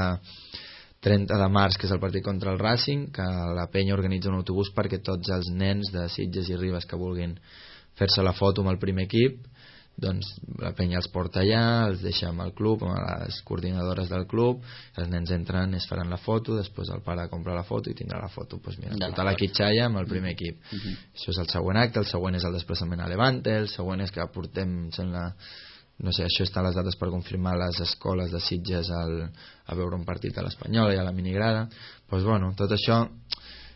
trenta de març, que és el partit contra el Racing, que la penya organitza un autobús perquè tots els nens de Sitges i Ribes que vulguin fer-se la foto amb el primer equip, doncs la penya els porta allà, els deixa amb el club, amb les coordinadores del club, els nens entren, es faran la foto, després el pare compra la foto i tindrà la foto, doncs mira, tota la quitxalla amb el primer equip. Uh-huh. Això és el següent acte. El següent és el desplaçament a Levante, el següent és que portem, sembla, no sé, això estan les dates per confirmar les escoles de Sitges al, a veure un partit de l'Espanyol i a la minigrada. Doncs bueno, tot això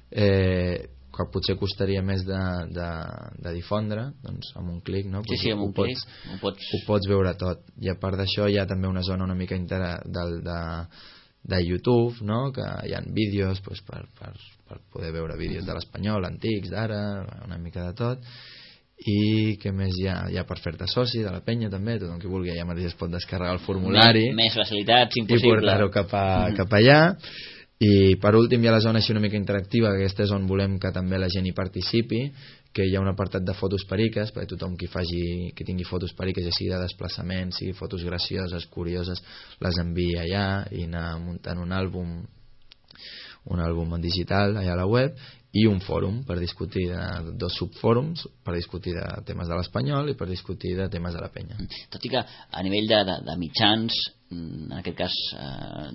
eh, que potser costaria més de, de, de difondre, doncs amb un clic, no? Sí, sí, amb un ho clic pots, ho pots... ho pots veure tot. I a part d'això hi ha també una zona una mica inter... de, de, de YouTube, no? Que hi ha vídeos doncs, per, per, per poder veure vídeos de l'Espanyol, antics, d'ara, una mica de tot. I què més hi ha? Hi ha per fer-te soci de la penya també, tothom qui vulgui ja mateix es pot descarregar el formulari més, més facilitats, impossible, i portar-ho cap, a, mm-hmm. cap allà. I per últim hi ha la zona així una mica interactiva, que aquesta és on volem que també la gent hi participi, que hi ha un apartat de fotos periques, perquè tothom qui, faci, que tingui fotos periques, ja sigui de desplaçament, sigui fotos gracioses, curioses, les envia allà i anar muntant un àlbum un àlbum en digital allà a la web, i un fòrum per discutir de, dos subfòrums per discutir de temes de l'Espanyol i per discutir de temes de la penya. Tot i que a nivell de, de, de mitjans, en aquest cas eh,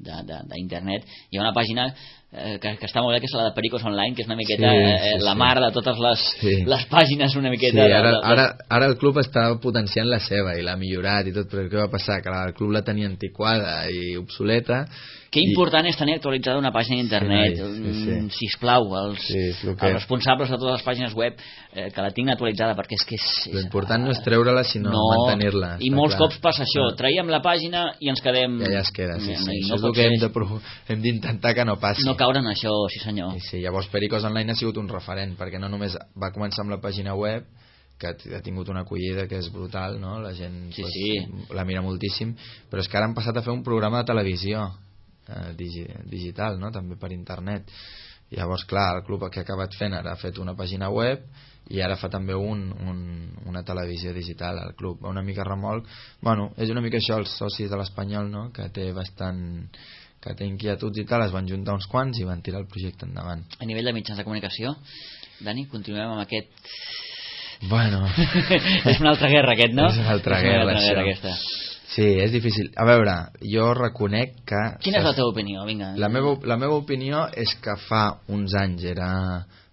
d'internet, hi ha una pàgina eh, que, que està molt bé, que és la de Pericos Online, que és una miqueta sí, sí, eh, la sí. mar de totes les, sí. les pàgines una miqueta. Sí, ara, de, de... Ara, ara el club està potenciant la seva i l'ha millorat i tot, però què va passar? Que el club la tenia antiquada i obsoleta. Que important i... és tenir actualitzada una pàgina d'internet. Sí, sí, sí. Sisplau, els, sí, que... els responsables de totes les pàgines web eh, que la tinguin actualitzada, perquè és que és... és l'important no és treure-la, sinó no, mantenir-la. I molts clar. cops passa això, no. traiem la pàgina i ens quedem... Ja, ja es queda, sí, sí. Això no és el que hem, de pro... hem d'intentar que no passi. No caure en això, sí senyor. Sí, sí. Llavors Pericos Online ha sigut un referent, perquè no només va començar amb la pàgina web, que ha tingut una acollida que és brutal, no? La gent sí, pues, sí. la mira moltíssim, però és que ara han passat a fer un programa de televisió eh, digi digital, no? També per internet. Llavors, clar, el club que ha acabat fent ara ha fet una pàgina web i ara fa també un, un, una televisió digital al club, una mica remolc. Bueno, és una mica això, els socis de l'Espanyol, no? Que té bastant que té inquietuds i tal, es van juntar uns quants i van tirar el projecte endavant. A nivell de mitjans de comunicació, Dani, continuem amb aquest... Bueno... és una altra guerra aquest, no? És una altra és guerra, una altra això. guerra aquesta. Sí, és difícil. A veure, jo reconec que... Quina és la teva opinió? Vinga. La meva, la meva opinió és que fa uns anys era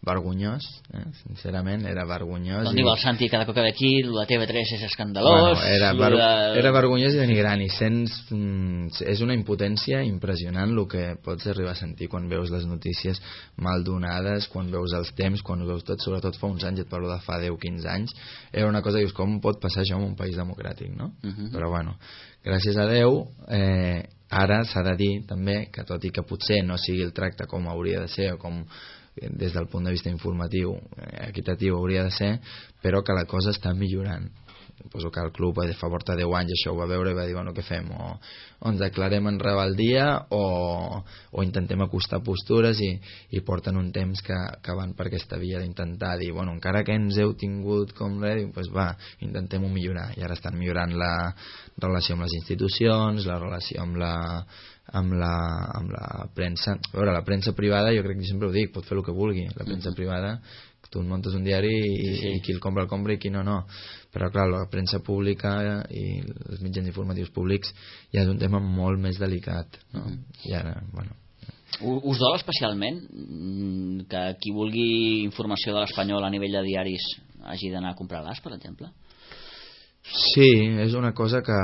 vergonyós, eh? Sincerament, era vergonyós. Com i... diu el Santi, cada cop que ve aquí, la T V tres és escandalós... Bueno, era, ver... de... era vergonyós i denigrant, i sents... Mm, és una impotència impressionant el que pots arribar a sentir quan veus les notícies mal donades, quan veus els temps, quan veus tot, sobretot fa uns anys, et parlo de fa deu o quinze anys, era una cosa que dius, com pot passar això en un país democràtic, no? Uh -huh. Però bueno, gràcies a Déu, eh, ara s'ha de dir també que tot i que potser no sigui el tracte com hauria de ser o com des del punt de vista informatiu, eh, equitatiu hauria de ser, però que la cosa està millorant. suposo que el club fa porta deu anys això ho va veure i va dir, bueno, què fem? O, o ens declarem en rebeldia o, o intentem acostar postures i, i porten un temps que, que van per aquesta via d'intentar dir, bueno, encara que ens heu tingut com res, doncs va, intentem-ho millorar, i ara estan millorant la relació amb les institucions, la relació amb la amb la, amb la premsa. A veure, la premsa privada, jo crec que sempre ho dic, pot fer el que vulgui, la premsa mm-hmm. privada, tu muntes un diari i, sí. i qui el compra el compra i qui no, no, però clar, la premsa pública i els mitjans informatius públics ja és un tema molt més delicat, no? Mm-hmm. I ara, bueno, us dol especialment que qui vulgui informació de l'Espanyol a nivell de diaris hagi d'anar a comprar l'As, per exemple? Sí, és una cosa que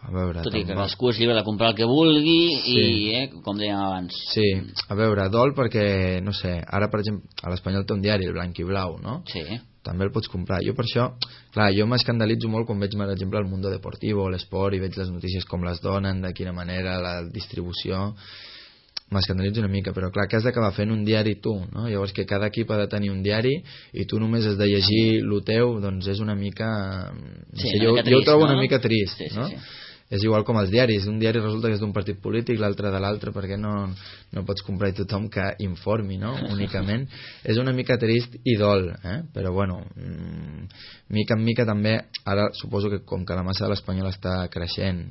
a veure, tot i que cadascú és lliure de comprar el que vulgui sí. i, eh, com dèiem abans. Sí, a veure, dol perquè, no sé, ara per exemple, a l'Espanyol té un diari, el Blanc i Blau, no? Sí. També el pots comprar. Jo per això, clar, jo m'escandalitzo molt quan veig, per exemple, el Mundo Deportivo, l'Esport, i veig les notícies com les donen, de quina manera, la distribució, m'escandalitzo una mica, però clar, que has d'acabar fent un diari tu, no? Llavors que cada equip ha de tenir un diari i tu només has de llegir lo teu, doncs és una mica... No sí, sé, una jo, mica trist, jo ho trobo no? una mica trist, sí, sí, no? Sí. És igual com els diaris, un diari resulta que és d'un partit polític, l'altre de l'altre, perquè no, no pots comprar i tothom que informi, no? Únicament. És una mica trist i dol, eh? Però bueno, mmm, mica en mica també, ara suposo que com que la massa de l'Espanyol està creixent,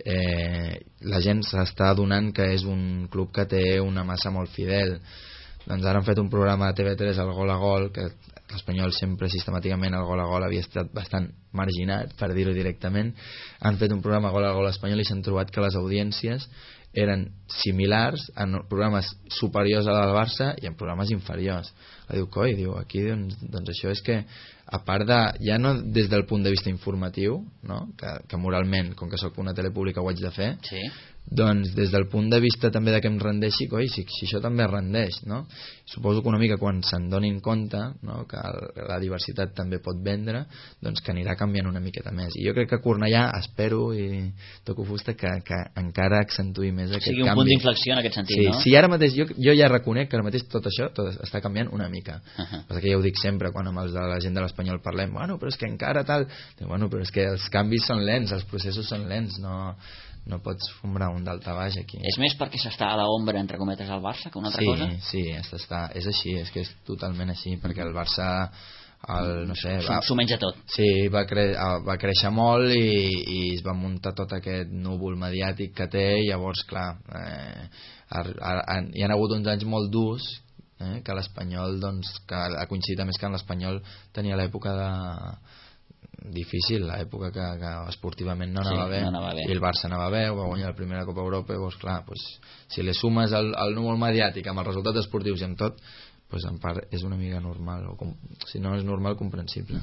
eh, la gent s'està adonant que és un club que té una massa molt fidel. Doncs ara han fet un programa de T V tres, el Gol a Gol, que l'Espanyol sempre sistemàticament el Gol a Gol havia estat bastant marginat, per dir-ho directament. Han fet un programa Gol a Gol espanyol i s'han trobat que les audiències eren similars en programes superiors a la del Barça i en programes inferiors. La diu, coi, diu, aquí doncs, doncs això és que a part de, ja no des del punt de vista informatiu, no? que, que moralment, com que sóc una tele pública ho haig de fer, sí. doncs des del punt de vista també de que em rendeixi, coi, si, si això també es rendeix, no? Suposo que una mica quan se'n donin compte, no? que la diversitat també pot vendre, doncs que anirà canviant una miqueta més, i jo crec que Cornellà, espero i toco fusta, que, que encara accentuï més aquest canvi. O sigui, un canvi. punt d'inflexió en aquest sentit, sí, no? Sí, ara mateix, jo, jo ja reconec que ara mateix tot això tot està canviant una mica, uh-huh. perquè ja ho dic sempre quan amb els de la gent de l'Espanyol parlem, bueno, però és que encara tal, bueno, però és que els canvis són lents, els processos són lents, no no pots fombrar un d'alta baix aquí. És més perquè s'està a l'ombra, entre cometes, al Barça que una altra sí, cosa? Sí, està, és així, és que és totalment així, perquè el Barça el, no sé, va, s'ho menja tot. Sí, va, cre va créixer molt i, i es va muntar tot aquest núvol mediàtic que té, i llavors, clar, eh, ha, ha, hi ha hagut uns anys molt durs, eh, que l'Espanyol, doncs, que ha coincidit més que en l'Espanyol tenia l'època de difícil, l'època que, que esportivament no anava, sí, bé, no anava bé, i el Barça anava bé, va guanyar la primera Copa Europa, i doncs clar, pues, si li sumes el, el núvol mediàtic amb els resultats esportius i amb tot, pues, en part és una mica normal, o com, si no és normal, comprensible.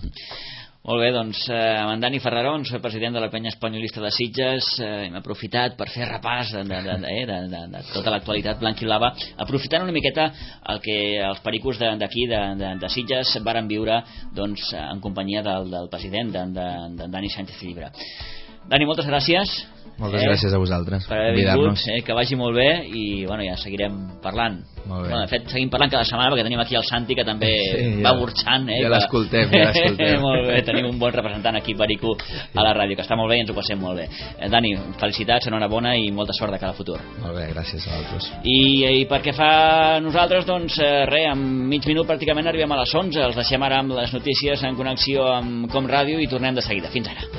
Molt bé, doncs eh, amb en Dani Ferrarón, soy president de la penya espanyolista de Sitges, eh, hem aprofitat per fer repàs de, de, de, de, de, de, de tota l'actualitat blanc-i-blava, aprofitant una miqueta el que els pericos d'aquí de, de, de Sitges varen viure, doncs, en companyia del, del president, de, de, de Dani Sánchez Llibre. Dani, moltes gràcies. Moltes eh, gràcies a vosaltres per haver vingut, eh, que vagi molt bé, i bueno, ja seguirem parlant. Molt bé. Bueno, de fet, seguim parlant cada setmana perquè tenim aquí el Santi, que també sí, ja, va burxant, eh, ja l'escoltem, ja l'escoltem. Molt bé, tenim un bon representant aquí, Perico, a la ràdio, que està molt bé i ens ho passem molt bé. eh, Dani, felicitats, enhorabona i molta sort de cara al futur. Molt bé, gràcies a vosaltres. I, i pel que fa a nosaltres, doncs eh, res, en mig minut pràcticament arribem a les onze. Els deixem ara amb les notícies en connexió amb Com Ràdio i tornem de seguida. Fins ara.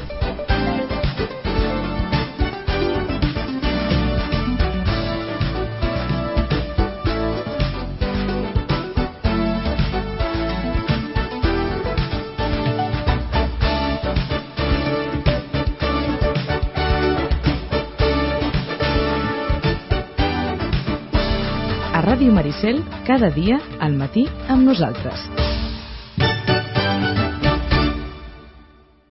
Ràdio Maricel, cada dia al matí amb nosaltres.